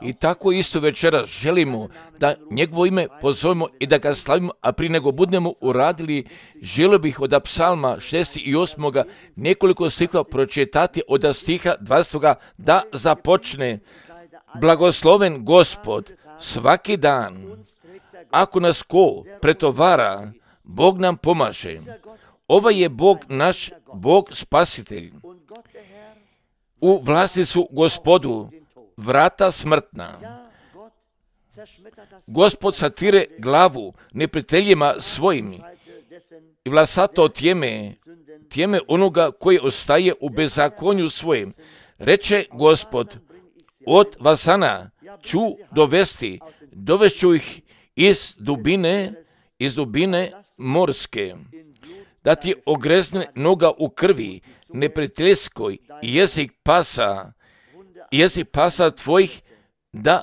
I tako isto večeras želimo da njegovo ime pozovemo i da ga slavimo, a prije nego budemo uradili, želio bih od psalma 68. nekoliko stihova pročitati od stiha 20. da započne. Blagosloven Gospod svaki dan, ako nas ko pretovara, Bog nam pomaže. Ovaj je Bog naš, Bog spasitelj. U vlasti su Gospodu vrata smrtna. Gospod satire glavu neprijateljima svojim i vlasato tjeme onoga koji ostaje u bezakonju svojem. Reče Gospod, od vasana ću dovešću ih iz dubine morske, da ti ogrezne noga u krvi neprijateljskoj i jezik pasa tvojih da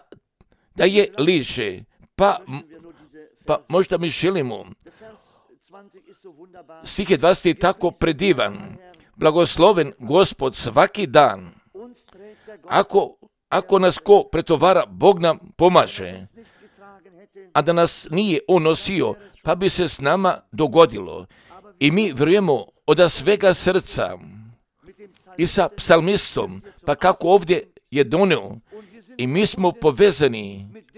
je liže. Pa možda mi želimo. Stih je 20 je tako predivan. Blagosloven Gospod svaki dan. Ako nas ko pretovara, Bog nam pomaže. A da nas nije on nosio, pa bi se s nama dogodilo. I mi vjerujemo od svega srca i sa psalmistom, pa kako ovdje je donio. I mi smo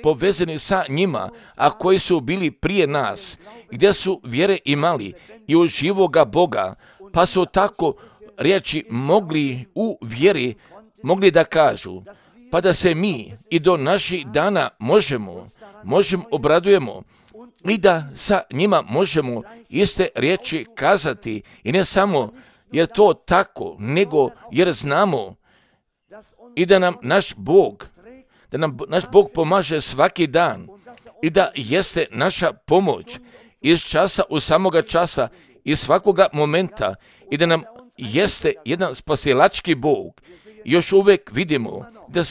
povezani sa njima, a koji su bili prije nas, gdje su vjere imali i u živoga Boga, pa su tako riječi mogli u vjeri, mogli da kažu, pa da se mi i do naših dana možemo obradujemo i da sa njima možemo iste riječi kazati, i ne samo jer to tako, nego jer znamo i da nam naš Bog pomaže svaki dan i da jeste naša pomoć iz časa u samoga časa i svakoga momenta i da nam jeste jedan spasilački Bog. Još uvijek vidimo da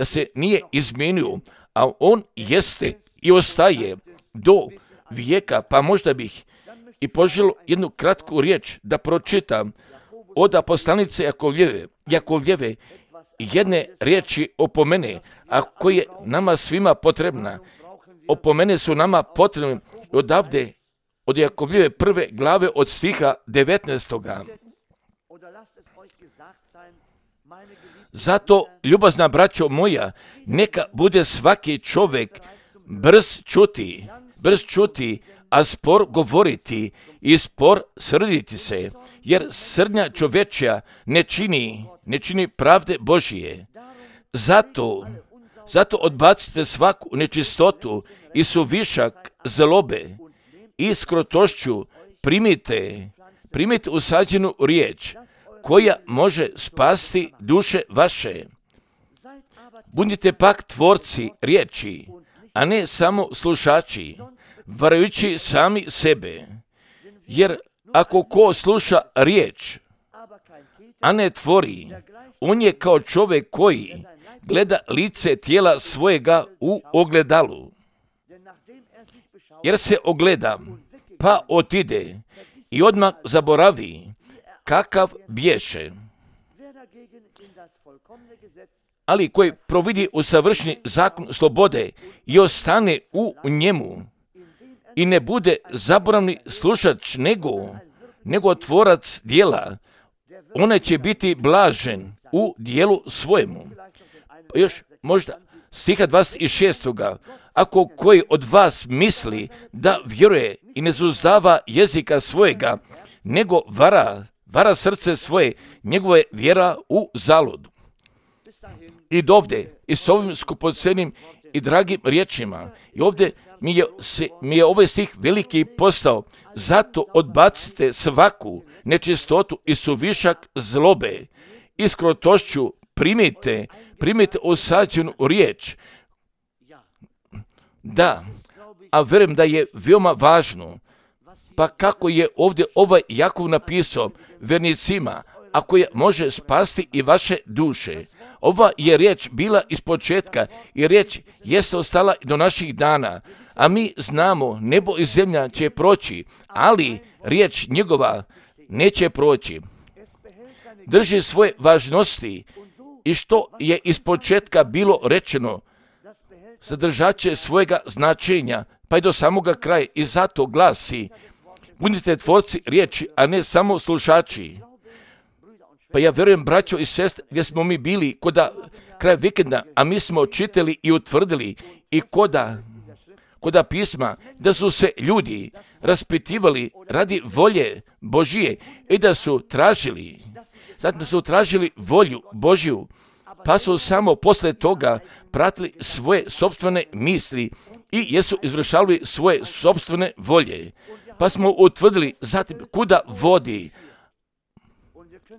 se nije izmijenio, a on jeste i ostaje do vijeka. Pa možda bih i poželio jednu kratku riječ da pročitam od poslanice Jakovljeve, jedne riječi opomene, a koje je nama svima potrebna. Opomene su nama potrebne odavde, od Jakovljeve 1. glave od stiha 19. Zato, ljubazna braćo moja, neka bude svaki čovjek brz čuti, a spor govoriti i spor srditi se, jer srdnja čovječja ne čini pravde Božije. Zato odbacite svaku nečistotu i suvišak zlobe i s krotošću primite usađenu riječ, koja može spasti duše vaše. Budite pak tvorci riječi, a ne samo slušači, varajući sami sebe. Jer ako ko sluša riječ, a ne tvori, on je kao čovjek koji gleda lice tijela svojega u ogledalu. Jer se ogleda, pa otide i odmah zaboravi kakav bješe. Ali koji providi u savršeni zakon slobode i ostane u njemu i ne bude zaboravni slušač nego tvorac djela, one će biti blažen u dijelu svojemu. Pa još možda stiha 26. Ako koji od vas misli da vjeruje i ne suzdava jezika svojega, nego vara srce svoje, njegova je vjera u zaludu. I dovde, i s ovim skupocenim i dragim riječima, i ovdje mi je ovaj stih veliki postao, zato odbacite svaku nečistotu i suvišak zlobe i s krotošću primite usađenu riječ. Da, a vjerujem da je veoma važno, pa kako je ovdje ovaj Jakov napisao vernicima, ako je može spasti i vaše duše. Ova je riječ bila iz početka i riječ jeste ostala do naših dana, a mi znamo nebo i zemlja će proći, ali riječ njegova neće proći. Drži svoje važnosti i što je ispočetka bilo rečeno, zadržat će svojega značenja, pa i do samoga kraja. I zato glasi, budite tvorci riječi, a ne samo slušači. Pa ja vjerujem, braćo i sestre, gdje smo mi bili kraj vikenda, a mi smo čitali i utvrdili i koda pisma, da su se ljudi raspitivali radi volje Božije i da su tražili volju Božju, pa su samo posle toga pratili svoje sopstvene misli i jesu izvršavali svoje sopstvene volje. Pa smo utvrdili zatim kuda vodi.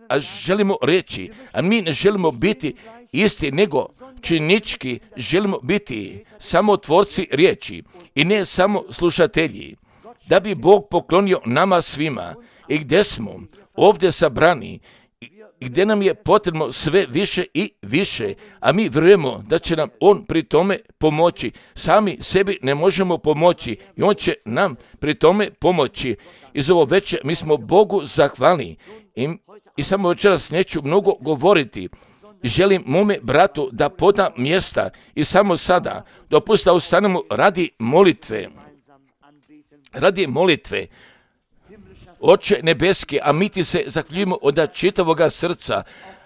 A želimo reći, a mi ne želimo biti isti, nego činički želimo biti samo tvorci riječi i ne samo slušatelji, da bi Bog poklonio nama svima i gdje smo ovdje sabrani i gdje nam je potrebno sve više i više, a mi vjerujemo da će nam On pri tome pomoći. Sami sebi ne možemo pomoći i On će nam pri tome pomoći. Iz ovo večer mi smo Bogu zahvalni i samo večeras neću mnogo govoriti. Želim mome bratu da poda mjesta i samo sada dopustite da ustanemo radi molitve. Oče nebeski, a mi ti se zahvaljujemo od čitavoga srca,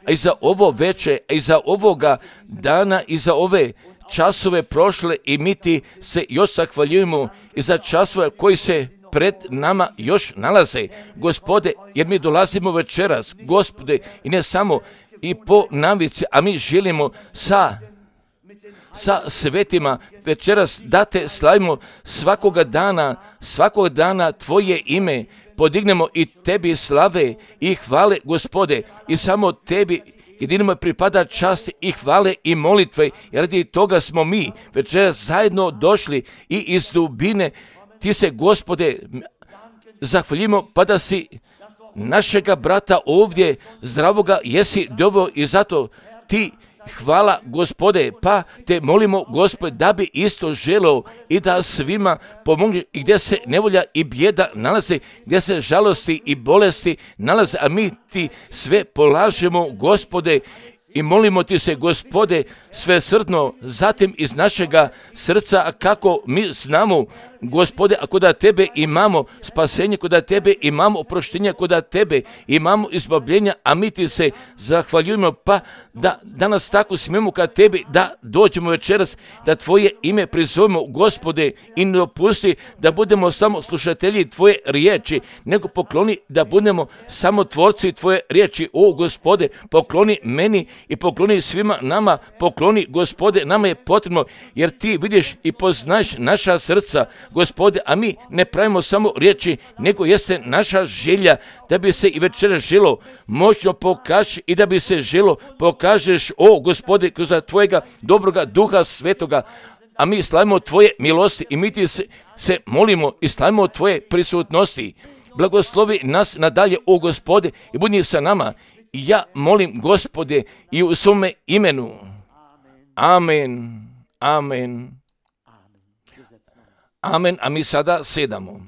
a i za ovo večer, a i za ovoga dana, i za ove časove prošle, i mi ti se još zahvaljujemo i za časove koji se pred nama još nalaze, Gospode, jer mi dolazimo večeras, Gospode, i ne samo i po navici, a mi želimo sa svetima večeras da te slavimo svakoga dana Tvoje ime podignemo i Tebi slave i hvale, Gospode, i samo Tebi jedinimo pripada čast i hvale i molitve, jer radi toga smo mi večeras zajedno došli i iz dubine Ti se, Gospode, zahvaljimo, pa da si našega brata ovdje zdravoga jesi doveo i zato Ti hvala, Gospode, pa te molimo, Gospode, da bi isto želeo i da svima pomogne i gdje se nevolja i bijeda nalaze, gdje se žalosti i bolesti nalaze, a mi Ti sve polažemo, Gospode, i molimo Ti se, Gospode, svesrdno, zatim iz našega srca, kako mi znamo, Gospode, ako da Tebe imamo spasenje, kod da Tebe imamo oproštenja, kod da Tebe imamo izbavljenja, a mi Ti se zahvaljujemo, pa da danas tako smijemo kad Tebi da dođemo večeras, da Tvoje ime prizovemo, Gospode, i ne dopusti da budemo samo slušatelji Tvoje riječi, nego pokloni da budemo samo tvorci Tvoje riječi. O, Gospode, pokloni meni i pokloni svima nama, pokloni, Gospode, nama je potrebno, jer Ti vidiš i poznaješ naša srca, Gospode, a mi ne pravimo samo riječi, nego jeste naša želja da bi se i večeras želo moćno pokaži i da bi se želo pokažeš, o Gospode, kroz Tvojega dobroga Duha Svetoga, a mi slavimo Tvoje milosti i mi Ti se molimo i slavimo Tvoje prisutnosti. Blagoslovi nas nadalje, o Gospode, i budi sa nama. I ja molim, Gospode, i u svome imenu. Amen. Amen. Amen, a mi sada sedamo.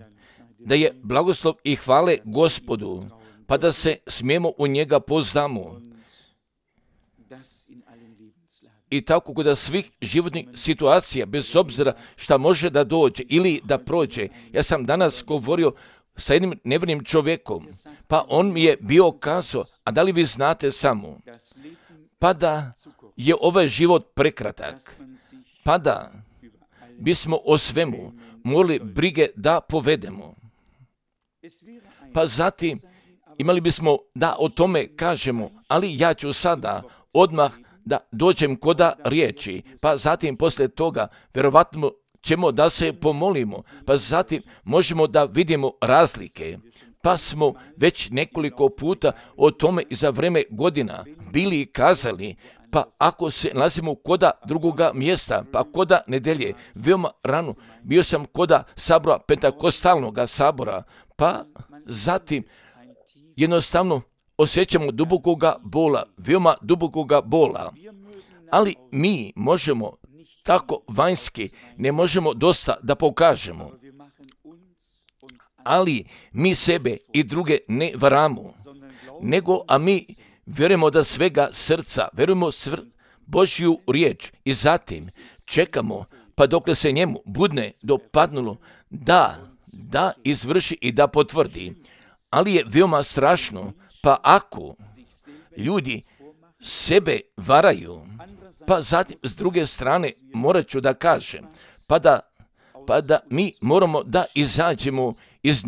Da je blagoslov i hvale Gospodu, pa da se smijemo u njega pozdamo. I tako kod svih životnih situacija, bez obzira šta može da dođe ili da prođe. Ja sam danas govorio sa jednim nevjernim čovjekom, pa on mi je bio kazao, a da li vi znate samo, pa da je ovaj život prekratak, pa da bismo o svemu morali brige da povedemo. Pa zatim imali bismo da o tome kažemo, ali ja ću sada odmah da dođem koda riječi, pa zatim poslije toga vjerovatno ćemo da se pomolimo, pa zatim možemo da vidimo razlike. Pa smo već nekoliko puta o tome i za vreme godina bili kazali, pa ako se nalazimo koda drugoga mjesta, pa koda nedelje, veoma rano, bio sam koda sabora, pentakostalnog sabora, pa zatim jednostavno osjećamo dubokoga bola, veoma dubokoga bola, ali mi možemo tako vanjski, ne možemo dosta da pokažemo, ali mi sebe i druge ne varamo, nego a mi vjerujemo da svega srca, vjerujemo Božju riječ i zatim čekamo pa dokle se njemu budne dopadnulo da izvrši i da potvrdi. Ali je veoma strašno, pa ako ljudi sebe varaju, pa zatim s druge strane morat ću da kažem, pa da mi moramo da izađemo iz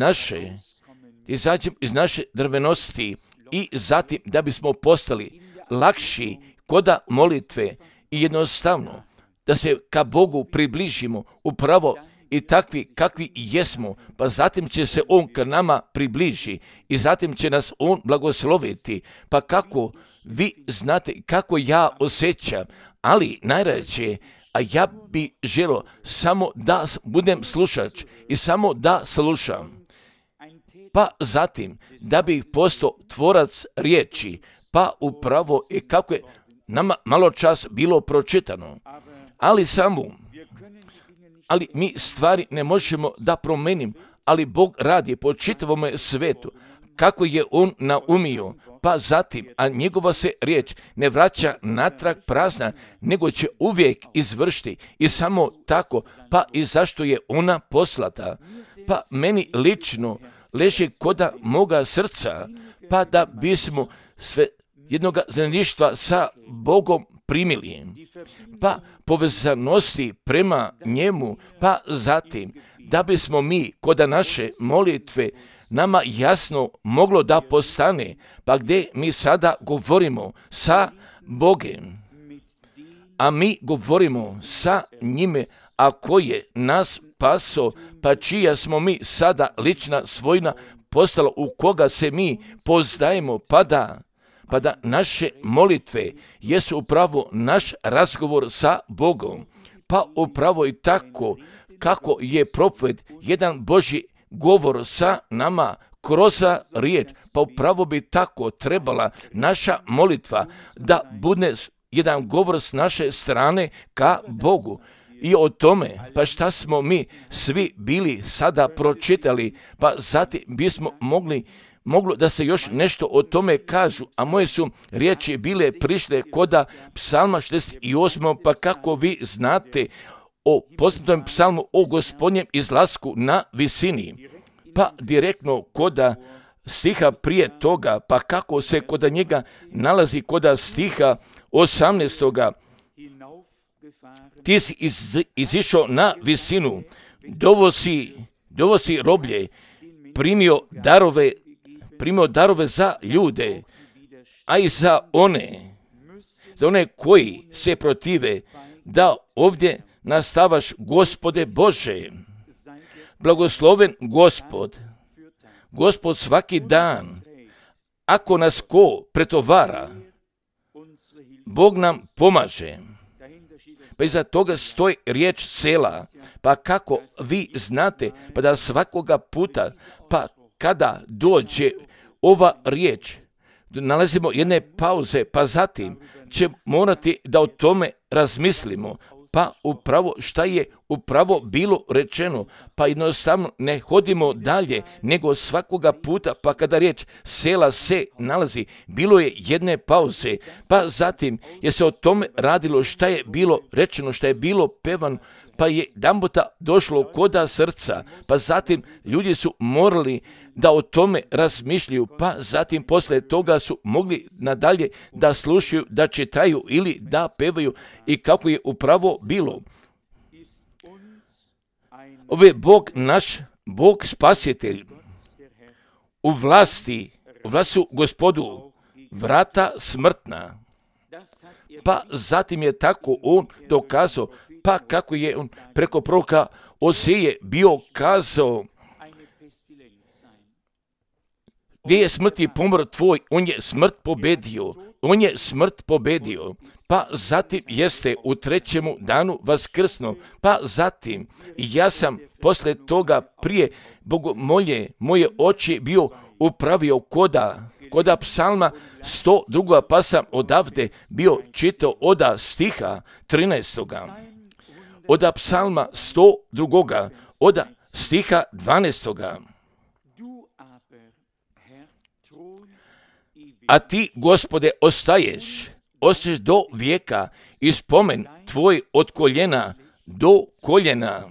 naše drvenosti i zatim da bismo postali lakši koda molitve i jednostavno da se ka Bogu približimo upravo i takvi kakvi jesmo, pa zatim će se On k nama približi i zatim će nas On blagosloviti. Pa kako vi znate kako ja osjećam, ali najrađe, a ja bi želio samo da budem slušač i samo da slušam. Pa zatim da bih postao tvorac riječi, pa upravo i kako je nama malo čas bilo pročitano. Ali mi stvari ne možemo da promenimo, ali Bog radi po čitavome svetu, kako je On naumio, pa zatim, a njegova se riječ ne vraća natrag prazna, nego će uvijek izvršiti i samo tako, pa i zašto je ona poslata. Pa meni lično leži koda moga srca, pa da bismo sve jednoga zajedništva sa Bogom primili, pa povezanosti prema njemu, pa zatim da bismo mi koda naše molitve nama jasno moglo da postane, pa gdje mi sada govorimo sa Bogem, a mi govorimo sa njime, a koji je nas spaso, pa čija smo mi sada lična svojina postala, u koga se mi poznajemo, pa da naše molitve jesu upravo naš razgovor sa Bogom, pa upravo i tako kako je propoved jedan Božji govor sa nama kroz riječ, pa upravo bi tako trebala naša molitva da bude jedan govor s naše strane ka Bogu. I o tome, pa šta smo mi svi bili sada pročitali, pa zatim bismo moglo da se još nešto o tome kažu, a moje su riječi bile prišle koda psalma 68, pa kako vi znate o poznatom psalmu o Gospodnjem izlasku na visini, pa direktno koda stiha prije toga, pa kako se koda njega nalazi koda stiha 18. Ti si izišao na visinu, dovo si roblje, primio darove za ljude, a i za one koji se protive, da ovdje nastavaš, Gospode Bože. Blagosloven Gospod svaki dan. Ako nas ko pretovara, Bog nam pomaže. Pa iza toga stoji riječ sela. Pa kako vi znate, pa da svakoga puta, pa kada dođe ova riječ, nalazimo jedne pauze, pa zatim će morati da o tome razmislimo, pa upravo šta je upravo bilo rečeno, pa jednostavno ne hodimo dalje, nego svakoga puta, pa kada riječ sela se nalazi, bilo je jedne pauze, pa zatim je se o tome radilo šta je bilo rečeno, šta je bilo pevano, pa je jedanputa došlo koda srca, pa zatim ljudi su morali da o tome razmišljaju, pa zatim posle toga su mogli nadalje da slušaju, da čitaju ili da pevaju i kako je upravo bilo. Ove Bog naš, Bog spasitelj, u vlasti Gospodu, vrata smrtna. Pa zatim je tako on dokazao, pa kako je on preko proroka Oseje bio kazao, gdje je smrti pomor tvoj, on je smrt pobedio. Pa zatim jeste u trećemu danu vaskrsno, pa zatim ja sam posle toga prije bogomolje moje oči bio upravio koda psalma 102. pa sam odavde bio čitao oda stiha 13. Oda psalma 102. oda A ti, Gospode, ostaješ do vijeka i spomen tvoj od koljena do koljena.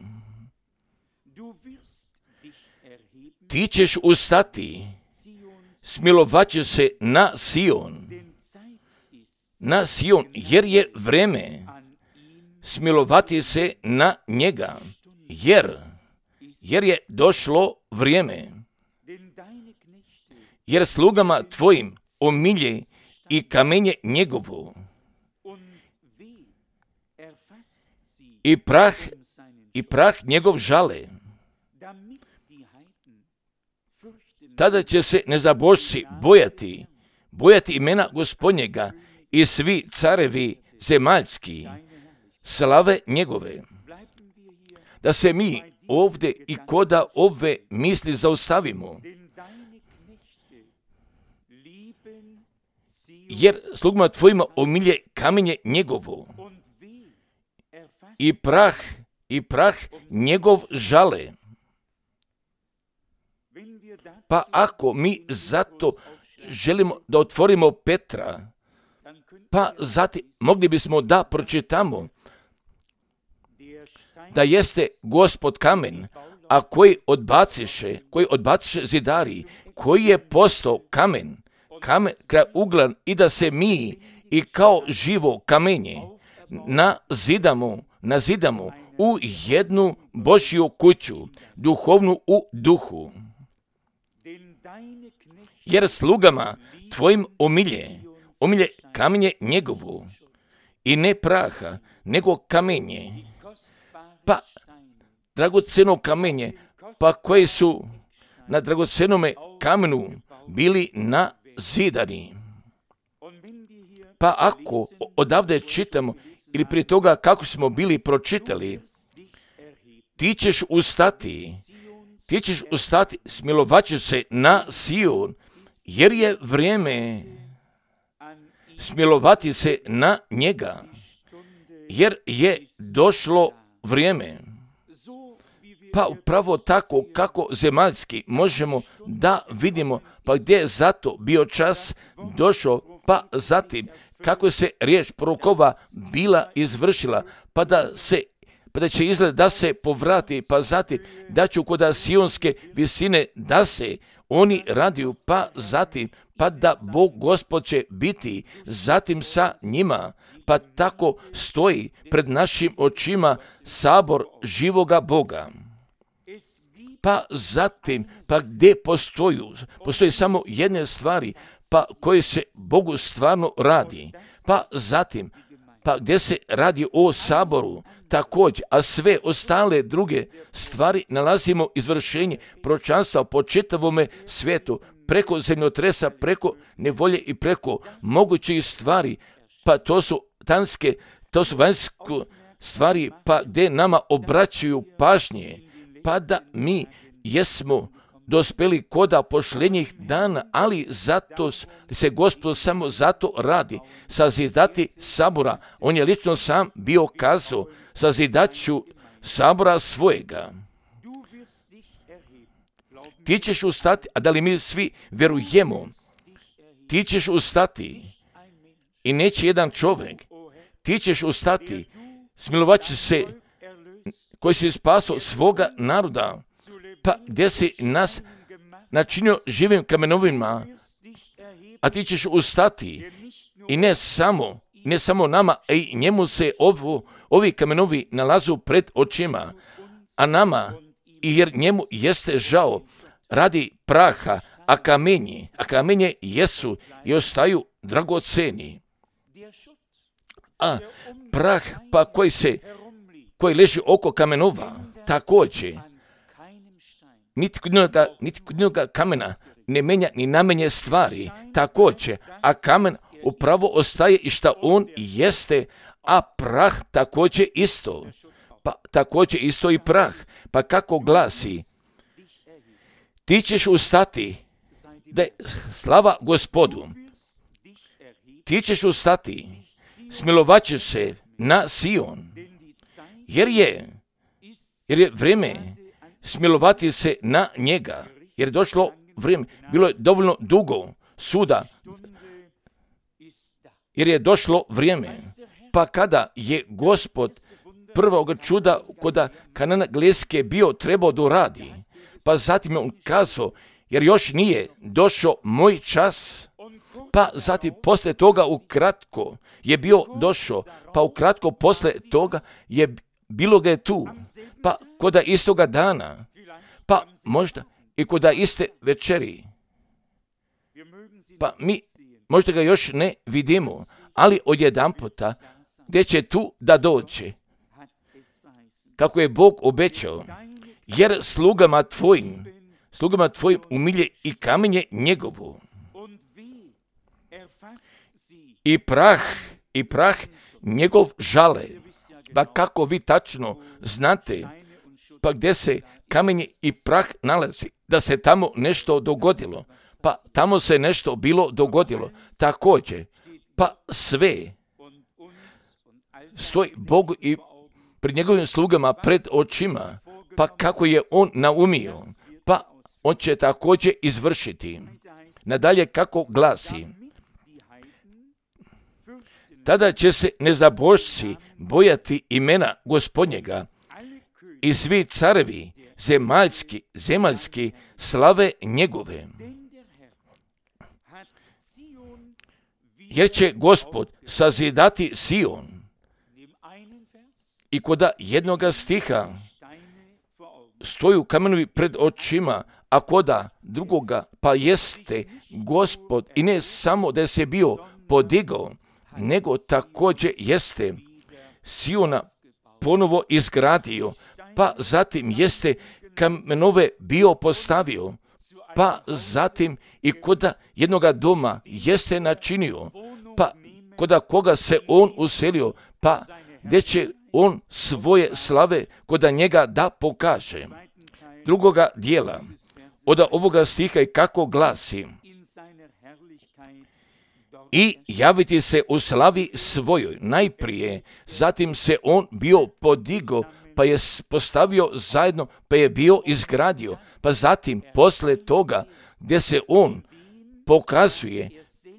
Ti ćeš ustati, smilovat će se na Sion, jer je vreme smilovati se na njega, jer je došlo vrijeme. Jer slugama tvojim omilje i kamenje njegovo, i prah njegov žale. Tada će se nezabožci bojati imena Gospodnjega i svi carevi zemaljski slave njegove. Da se mi ovdje i koda ove misli zaustavimo, jer slugama tvojima omilje kamenje njegovo i prah njegov žale. Pa ako mi zato želimo da otvorimo Petra, pa zatim mogli bismo da pročitamo da jeste Gospod kamen, a koji odbaciše zidari, koji je postao kamen kraj ugla, i da se mi i kao živo kamenje nazidamo u jednu Božju kuću, duhovnu u duhu. Jer slugama tvojim omilje kamenje njegovo, i ne praha, nego kamenje, pa dragoceno kamenje, pa koji su na dragocenome kamenu bili nazidani. Pa ako odavde čitamo, ili prije toga kako smo bili pročitali, ti ćeš ustati, smilovat ćeš se na Sion, jer je vrijeme smilovati se na njega, jer je došlo vrijeme. Pa upravo tako kako zemaljski možemo da vidimo, pa gdje je zato bio čas došao, pa zatim kako se riječ prorokova bila izvršila, pa da će izgled da se povrati, pa zatim da će kod sionske visine da se oni radiju, pa zatim pa da Bog Gospod će biti zatim sa njima, pa tako stoji pred našim očima sabor živoga Boga. Pa zatim, pa gdje postoji samo jedne stvari, pa koje se Bogu stvarno radi, pa zatim, pa gdje se radi o saboru također, a sve ostale druge stvari nalazimo izvršenje proročanstva po čitavome svijetu, preko zemljotresa, preko nevolje i preko mogućih stvari, pa to su vanjske stvari, pa gdje nama obraćaju pažnje, pa da mi jesmo dospeli koda pošljenjih dana, ali zato se Gospod samo zato radi, sazidati sabora. On je lično sam bio kazao, sazidat ću sabora svojega. Ti ćeš ustati, a da li mi svi vjerujemo, ti ćeš ustati i neće jedan čovjek, ti ćeš ustati, smilovat će se koji si spasao svoga naroda, pa gdje si nas načinio živim kamenovima, a ti ćeš ustati i ne samo nama, a i njemu se ovi kamenovi nalazu pred očima, a nama, i jer njemu jeste žao radi praha, a kamenje jesu i ostaju dragoceni. A prah pa koji leži oko kamenova, također, niti kod jednoga kamena ne menja ni namenje stvari, također, a kamen upravo ostaje i šta on jeste, a prah također isto. Pa također isto i prah. Pa kako glasi, ti ćeš ustati, da je slava Gospodu, ti ćeš ustati, smilovat ćeš se na Sion, jer je vrijeme smilovati se na njega, jer je došlo vrijeme, bilo je dovoljno dugo suda, jer je došlo vrijeme. Pa kada je Gospod prvog čuda kod Kanana Gleske bio trebao da uradi, pa zatim je on kazao, jer još nije došao moj čas, pa zatim posle toga ukratko je bio došao, pa ukratko posle toga je bilo ga je tu, pa koda istoga dana, pa možda i koda iste večeri, pa mi možda ga još ne vidimo, ali odjedanputa gdje će tu da dođe, kako je Bog obećao, jer slugama tvojim umilje i kamenje njegovo, i prah njegov žale. Pa kako vi tačno znate, pa gdje se kamenje i prah nalazi, da se tamo nešto dogodilo, pa tamo se nešto bilo dogodilo, također, pa sve stoji Bogu i pred njegovim slugama pred očima, pa kako je on naumio, pa on će također izvršiti. Nadalje kako glasi, tada će se nezabožci bojati imena Gospodnjega i svi carevi zemaljski slave njegove. Jer će Gospod sazidati Sion. I koda jednoga stiha stoju kamenovi pred očima, a koda drugoga pa jeste Gospod, i ne samo da se bio podigao, nego također jeste Siona ponovo izgradio, pa zatim jeste kamenove bio postavio, pa zatim i koda jednoga doma jeste načinio, pa koda koga se on uselio, pa gdje će on svoje slave koda njega da pokaže. Drugoga dijela od ovoga stiha i kako glasi, i javiti se u slavi svojoj najprije, zatim se on bio podigo, pa je postavio zajedno, pa je bio izgradio, pa zatim posle toga gdje se on pokazuje,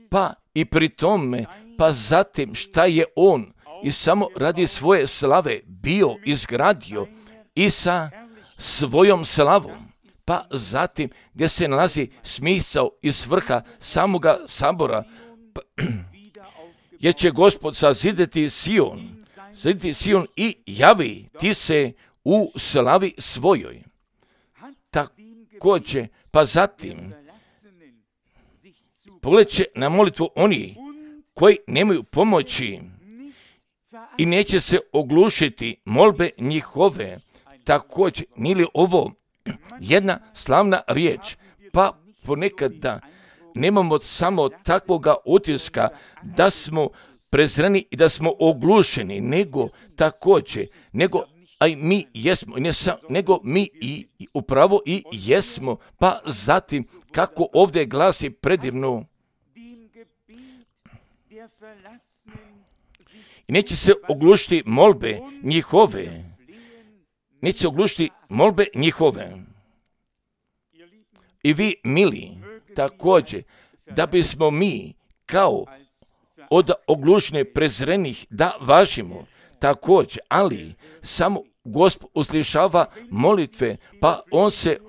pa i pri tome, pa zatim šta je on i samo radi svoje slave bio izgradio i sa svojom slavom, pa zatim gdje se nalazi smisao i svrha samoga sabora, jer će Gospod sazidati Sion i javi ti se u slavi svojoj. Također, pa zatim pogledat na molitvu oni koji nemaju pomoći i neće se oglušiti molbe njihove. Također, nije li ovo jedna slavna riječ, pa ponekad da nemamo samo takvoga utiska da smo prezreni i da smo oglušeni, nego također, a i mi jesmo, nego mi i upravo i jesmo, pa zatim kako ovdje glasi predivno, i neće se oglušiti molbe njihove, I vi, mili, također, da bismo mi kao od oglušne prezrenih da važimo, također, ali samo Gospod uslišava molitve, pa on se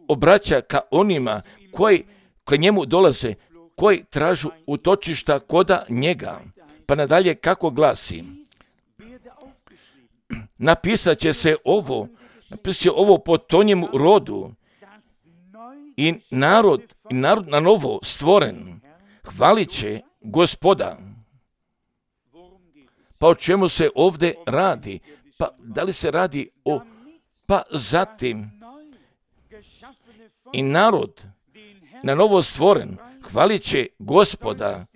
obraća ka onima koji k njemu dolaze, koji tražu utočišta koda njega. Pa nadalje kako glasi, napisat će ovo po tonjemu rodu, i narod na novo stvoren hvalit će Gospoda. Pa o čemu se ovdje radi? Pa da li se radi o, pa zatim i narod na novo stvoren hvalit će Gospoda,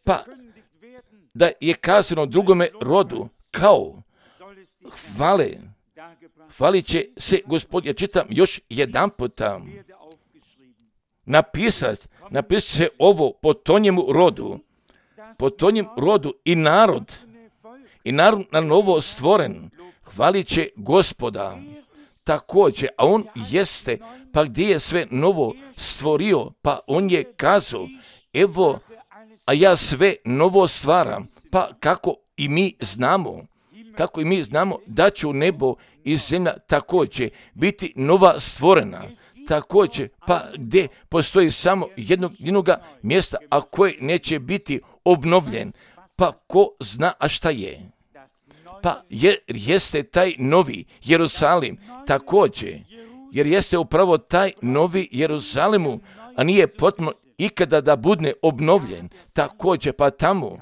pa da je kazano drugome rodu kao hvalit će se Gospod. Ja čitam još jedan puta. Napisat se ovo po tonjemu rodu i narod na novo stvoren hvalit će Gospoda. Također, a on jeste, pa gdje je sve novo stvorio, pa on je kazao, evo a ja sve novo stvaram. Pa kako i mi znamo da će u nebo i zemlja također biti nova stvorena. Također, pa gdje postoji samo jednoga mjesta, a koje neće biti obnovljen, pa ko zna a šta je? Pa jeste taj novi Jerusalim također, jer jeste upravo taj novi Jeruzalimu, a nije potrebno ikada da bude obnovljen. Također, pa tamo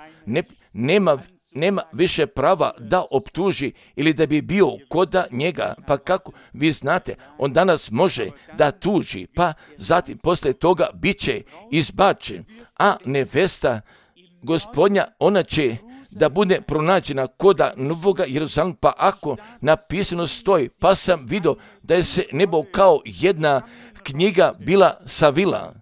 nema više prava da optuži ili da bi bio koda njega. Pa kako vi znate, on danas može da tuži, pa zatim poslije toga bit će izbačen, a nevesta Gospodnja, ona će da bude pronađena koda novoga Jeruzalema. Pa ako napisano stoji, pa sam vidio da je se nebo kao jedna knjiga bila savila,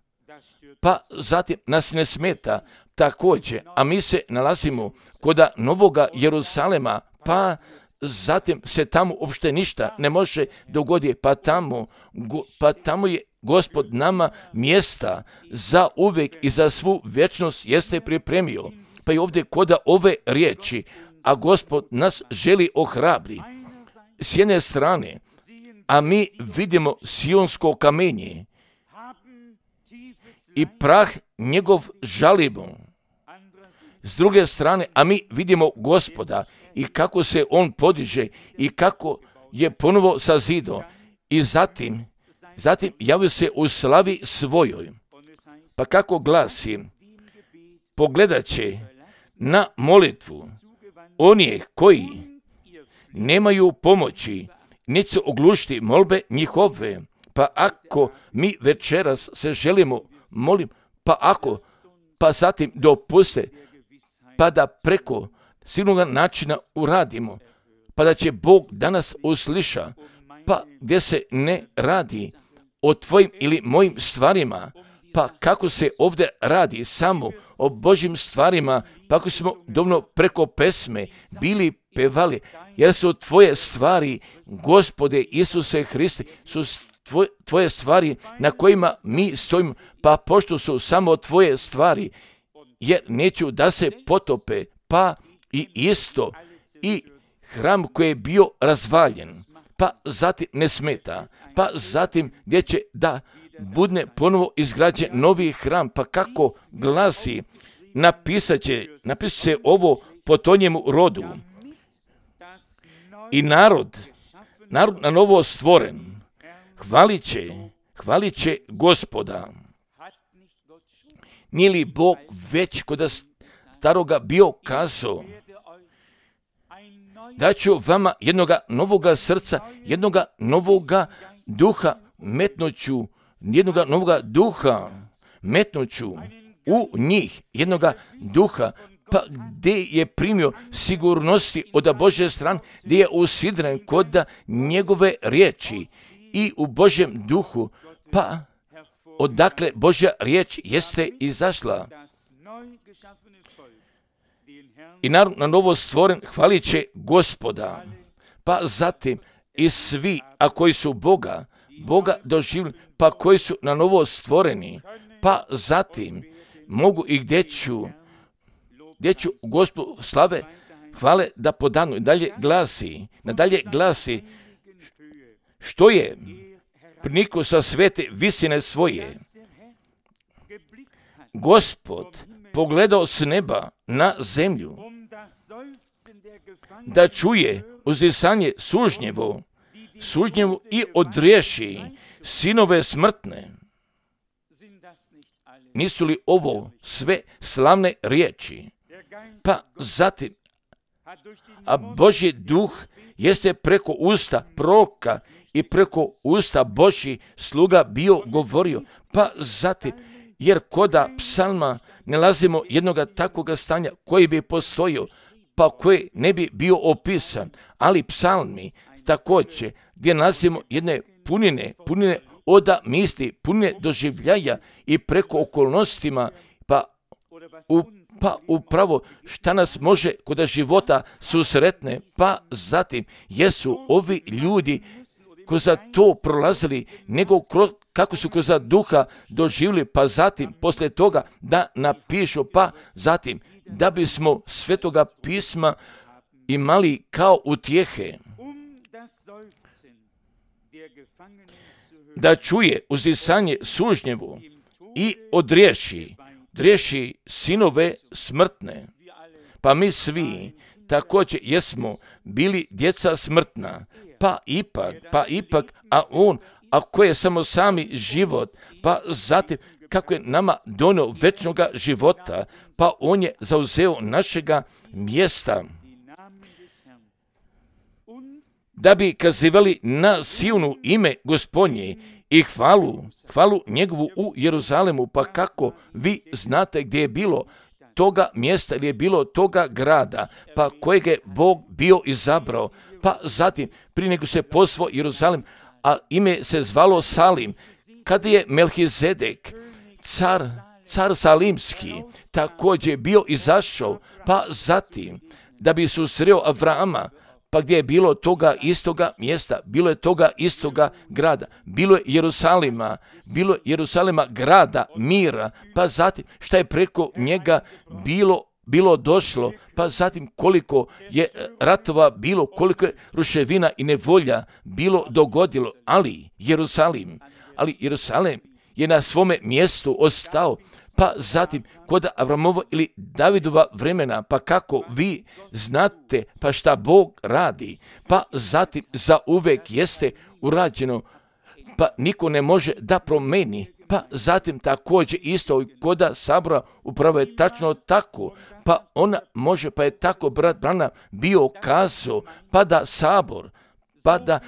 pa zatim nas ne smeta također, a mi se nalazimo koda novoga Jeruzalema, pa zatim se tamo uopšte ništa ne može dogoditi, pa tamo je Gospod nama mjesta za uvijek i za svu vječnost jeste pripremio. Pa i ovdje koda ove riječi, a Gospod nas želi ohrabri. S jedne strane, a mi vidimo sionsko kamenje i prah njegov žalimo. S druge strane, a mi vidimo Gospoda i kako se on podiže i kako je ponovo sazido i zatim javio se u slavi svojoj. Pa kako glasi, pogledat će na molitvu onih koji nemaju pomoći, neće se oglušiti molbe njihove. Pa ako mi večeras se želimo molim, pa zatim dopuste, pa da preko sigurnog načina uradimo, pa da će Bog danas usliša, pa gdje se ne radi o tvojim ili mojim stvarima, pa kako se ovdje radi samo o Božjim stvarima, pa ako smo dovoljno preko pesme bili pevali, jer su tvoje stvari, Gospode Isuse Hriste, su tvoje stvari na kojima mi stojimo, pa pošto su samo tvoje stvari, jer neću da se potope, pa i isto i hram koji je bio razvaljen, pa zatim ne smeta, pa zatim gdje će da bude ponovo izgrađen novi hram, pa kako glasi, napisat će se ovo po tonjemu rodu. I narod na novo stvoren, hvalit će Gospoda. Nije li Bog već kod staroga bio kazao, da ću vama jednoga novoga srca, jednoga novoga duha metnuću, u njih, jednoga duha, pa gdje je primio sigurnosti od Božje strane, gdje je usidren kod njegove riječi i u Božjem duhu, pa odakle Božja riječ jeste izašla. I narod na novo stvoren hvalit će Gospoda, pa zatim i svi, a koji su Boga doživjeli, pa koji su na novo stvoreni, pa zatim mogu i gdje ću Gospodu slave, hvale da podanu. Nadalje glasi, što je prinikao sa svete visine svoje. Gospod pogledao s neba na zemlju, da čuje uzdisanje sužnjevo i odriješi sinove smrtne. Nisu li ovo sve slavne riječi? Pa zatim, a Božji duh jeste preko usta proroka i preko usta Božji sluga bio govorio, pa zatim, jer koda psalma ne nalazimo jednoga takvoga stanja koji bi postojio, pa koji ne bi bio opisan, ali psalmi također gdje nalazimo jedne punine oda misli, punine doživljaja i preko okolnostima, pa upravo šta nas može kod života susretne, pa zatim jesu ovi ljudi kroz to prolazili, nego kako su kroz duha doživjeli, pa zatim poslije toga da napišu, pa zatim da bismo Svetoga pisma imali kao utjehe, da čuje uzdisanje sužnjevu i odriješi sinove smrtne. Pa mi svi također jesmo bili djeca smrtna, pa ipak, a on, ako je samo sami život, pa zatim kako je nama donio večnoga života, pa on je zauzeo našega mjesta, da bi kazivali na Sionu ime Gospodnje i hvalu njegovu u Jeruzalemu. Pa kako vi znate gdje je bilo toga mjesta ili je bilo toga grada, pa kojeg je Bog bio izabrao, pa zatim prije nego se posvao Jeruzalem, a ime se zvalo Salim, kada je Melhizedek, car Salimski, također bio izašao, pa zatim da bi susreo Avrama, pa gdje je bilo toga istoga mjesta, bilo je toga istoga grada, bilo je Jerusalema grada mira, pa zatim šta je preko njega bilo došlo, pa zatim koliko je ratova bilo, koliko je ruševina i nevolja bilo dogodilo, ali Jerusalem je na svome mjestu ostao, pa zatim kod Avramova ili Davidova vremena, pa kako vi znate, pa šta Bog radi, pa zatim za uvek jeste urađeno, pa niko ne može da promeni, pa zatim također isto kod Sabora upravo je tačno tako, pa ona može, pa je tako brat Branham bio kazao, pa da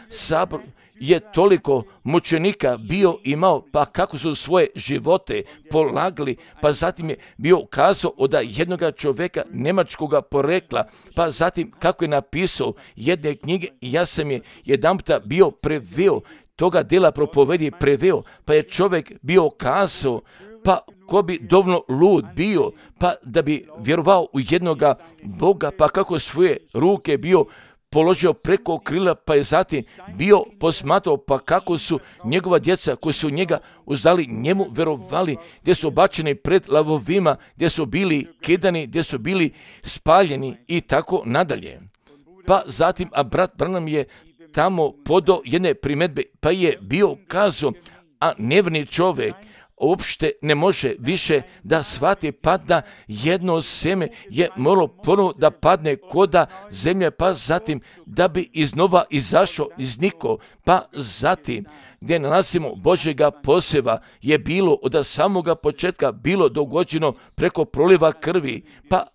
Sabor je toliko mučenika bio imao, pa kako su svoje živote polagali, pa zatim je bio kazao od jednoga čovjeka njemačkoga porekla, pa zatim kako je napisao jedne knjige, ja sam je jedanputa bio preveo, toga dela propovedi preveo, pa je čovjek bio kazao, pa ko bi dovoljno lud bio, pa da bi vjerovao u jednoga Boga, pa kako svoje ruke bio položio preko krila, pa je zatim bio posmatrao, pa kako su njegova djeca koji su njega uzdali njemu verovali, gdje su bačeni pred lavovima, gdje su bili kidani, gdje su bili spaljeni i tako nadalje. Pa zatim, a brat Branham je tamo podao jedne primjedbe, pa je bio kazao, a nevjerni čovjek uopšte ne može više da shvati, pa da jedno seme je moralo ponovo da padne koda zemlje, pa zatim da bi iznova izašao iz niko, pa zatim gdje nalazimo Božjega poseva je bilo od samoga početka bilo dogođeno preko proliva krvi, pa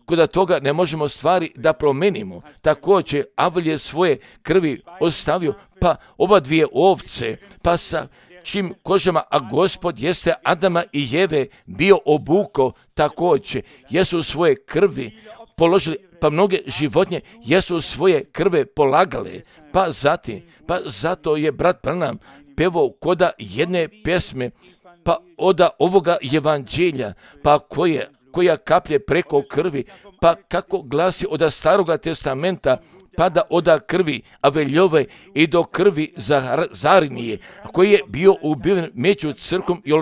kod toga ne možemo stvari da promenimo. Također Avel je svoje krvi ostavio, pa oba dvije ovce, pa sa čim kožama, a Gospod jeste Adama i Jeve bio obuko također, jesu svoje krvi položili, pa mnoge životinje jesu svoje krve polagale, pa zato je brat Branham pevao koda jedne pjesme, pa od ovoga evanđelja, pa koja kaplje preko krvi, pa kako glasi od Staroga testamenta, pa da od krvi Aveljove i do krvi Zarinije, koji je bio ubiven među crkvom i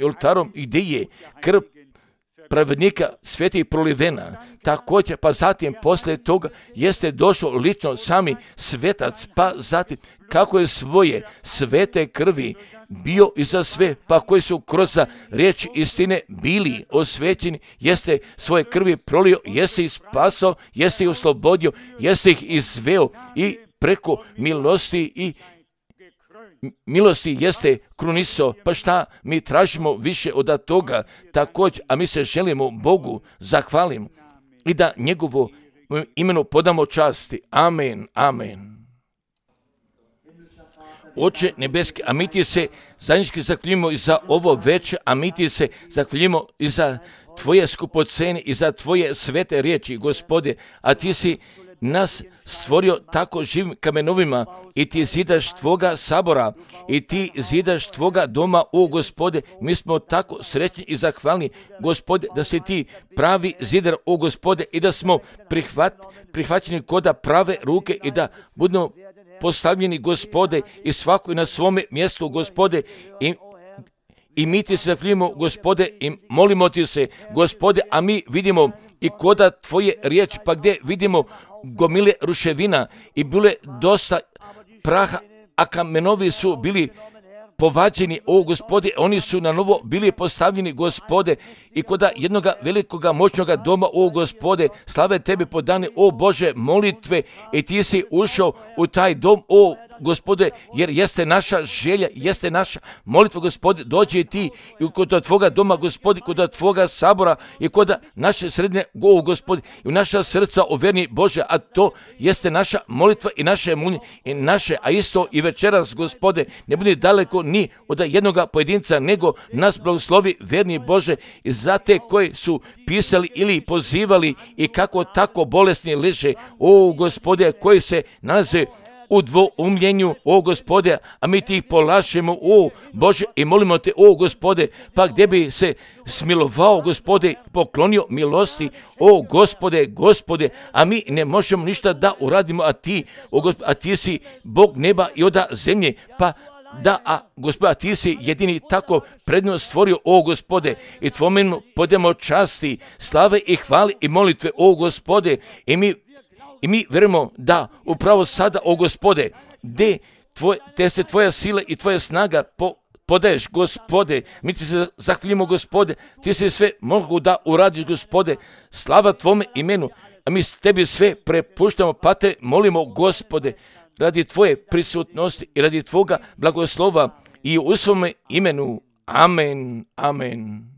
oltarom, i gdje je krv pravednika sveti prolivena. Također, pa zatim poslije toga jeste došao lično sami svetac, pa zatim kako je svoje svete krvi bio i za sve, pa koji su kroz riječ istine bili osvećeni, jeste svoje krvi prolio, jeste ih spasao, jeste ih oslobodio, jeste ih izveo i preko milosti jeste krunisao, pa šta mi tražimo više od toga također, a mi se želimo Bogu zahvalimo i da njegovo imenu podamo časti. Amen, amen. Oče nebeski, a mi ti se zajednički zahvaljujemo i za ovo večer, a mi ti se zahvaljujemo i za tvoje skupocene i za tvoje svete riječi, Gospode, a ti si nas stvorio tako živim kamenovima i ti zidaš tvoga sabora i ti zidaš tvoga doma, o Gospode, mi smo tako srećni i zahvalni, Gospode, da si ti pravi zidar, o Gospode, i da smo prihvaćeni koda prave ruke i da budemo postavljeni, Gospode, i svako na svome mjestu, Gospode, i mi ti se zahvaljujemo, Gospode, i molimo ti se, Gospode, a mi vidimo i koda tvoje riječ, pa gdje vidimo gomile ruševina i bile dosta praha, a kamenovi su bili povađeni, o Gospode, oni su na novo bili postavljeni, Gospode, i koda jednoga velikoga moćnoga doma, o Gospode, slave tebi podane, o Bože, molitve, i ti si ušao u taj dom, o Gospode, jer jeste naša želja, jeste naša molitva, Gospode, dođi ti i kod tvoga doma, Gospode, kod tvoga sabora i kod naše srednje, o Gospode, i u naša srca, o verni Bože, a to jeste naša molitva i naše moljenje i naše, a isto i večeras, Gospode, ne budi daleko ni od jednoga pojedinca, nego nas blagoslovi, verni Bože, i za te koji su pisali ili pozivali i kako tako bolesni leže, o Gospode, koji se nalaze u dvoumljenju, o Gospode, a mi ti ih polašemo, o Bože, i molimo te, o Gospode, pa gdje bi se smilovao, Gospode, poklonio milosti, o Gospode, Gospode, a mi ne možemo ništa da uradimo, a ti si Bog neba i oda zemlje, pa da, Gospode, ti si jedini tako prednost stvorio, o Gospode, i tvojemu podemo časti, slave i hvale i molitve, o Gospode, i mi vjerujemo da upravo sada, o Gospode, gdje se tvoja sila i tvoja snaga podaješ, Gospode, mi ti se zahvaljujemo, Gospode, ti se sve mogu da uradiš, Gospode, slava tvome imenu, a mi tebi sve prepuštamo, pa te molimo, Gospode, radi tvoje prisutnosti i radi tvoga blagoslova i u svome imenu. Amen, amen.